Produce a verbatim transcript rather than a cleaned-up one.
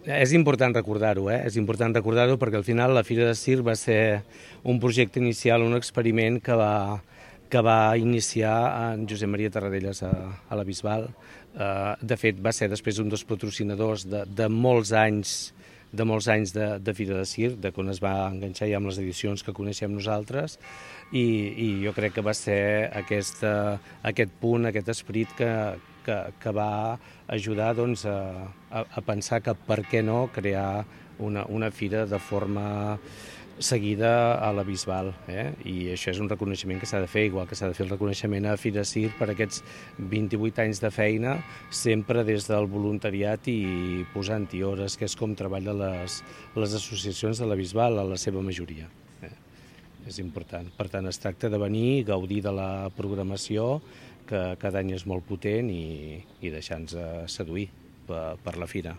És important recordar-ho, eh? És important recordar-ho perquè al final la Fira de Circ va ser un projecte inicial, un experiment que va, que va iniciar en Josep Maria Tarradellas a, a la Bisbal. Uh, de fet, va ser després un dels patrocinadors de, de molts anys de molts anys de, de Fira de Circ, de quan es va enganxar ja amb les edicions que coneixem nosaltres, i, i jo crec que va ser aquesta, aquest punt, aquest esperit que, que, que va ajudar doncs, a, a, a pensar que per què no crear una, una fira de forma seguida a la Bisbal, eh? I això és un reconeixement que s'ha de fer, igual que s'ha de fer el reconeixement a Fira Circ per aquests vint-i-vuit anys de feina, sempre des del voluntariat i posant-hi hores, que és com treballen les, les associacions de la Bisbal, a la seva majoria. Eh? És important. Per tant, es tracta de venir, gaudir de la programació, que cada any és molt potent, i, i deixar-nos seduir per, per la fira.